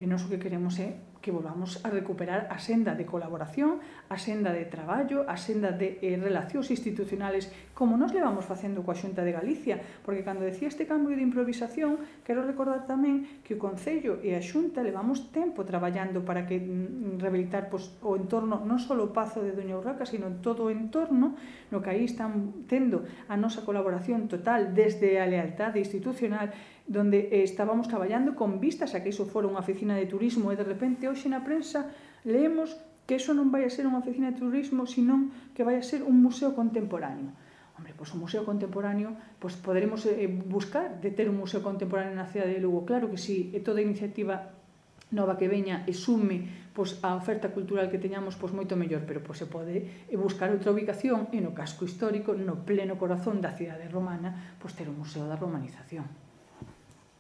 E nós o que queremos é que volvamos a recuperar a senda de colaboración, a senda de traballo, a senda de relacións institucionales, como nos levamos facendo coa Xunta de Galicia, porque cando decía este cambio de improvisación, quero recordar tamén que o Concello e a Xunta levamos tempo traballando para que rehabilitar o entorno, non só o Pazo de Doña Urraca, sino todo o entorno, no que aí están tendo a nosa colaboración total desde a lealtade institucional, donde estábamos traballando con vistas a que iso fora unha oficina de turismo e de repente hoxe na prensa leemos que iso non vai a ser unha oficina de turismo, senón que vai a ser un museo contemporáneo. Hombre, pois un museo contemporáneo, pois poderemos buscar de ter un museo contemporáneo na cidade de Lugo. Claro que sí, e toda iniciativa nova que veña e sume pois, a oferta cultural que teñamos, pois moito mellor, pero pois, se pode buscar outra ubicación e no casco histórico, no pleno corazón da cidade romana, pois ter o Museo da Romanización.